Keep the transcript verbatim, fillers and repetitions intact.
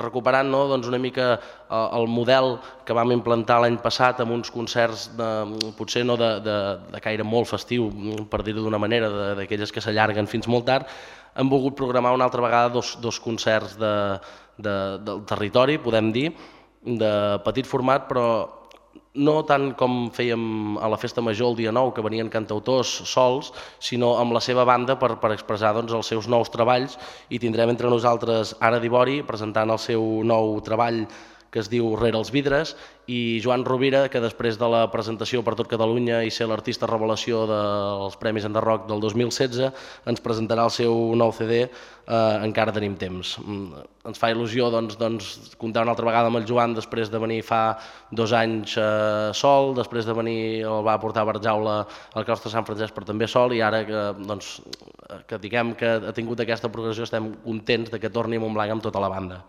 recuperant una mica el model que vam implantar l'any passat amb uns concerts potser no de caire molt festiu, per dir-ho d'una manera, d'aquelles que s'allarguen fins molt tard. Hem volgut programar una altra vegada dos concerts del territori, podem dir, de petit format, però no tant com fèiem a la Festa Major el dia nou, que venien cantautors sols, sinó amb la seva banda per expressar els seus nous treballs, i tindrem entre nosaltres Ara Dibori presentant el seu nou treball que es diu Rere els vidres, i Joan Rovira, que després de la presentació per tot Catalunya i ser l'artista revelació dels Premis Enderrock del dos mil setze, ens presentarà el seu nou ce de Encara tenim temps. Ens fa il·lusió comptar una altra vegada amb el Joan després de venir fa dos anys sol, després de venir, el va portar a Barjaula al claustre Sant Francesc però també sol, i ara que diguem que ha tingut aquesta progressió estem contents que torni a Montblanc amb tota la banda.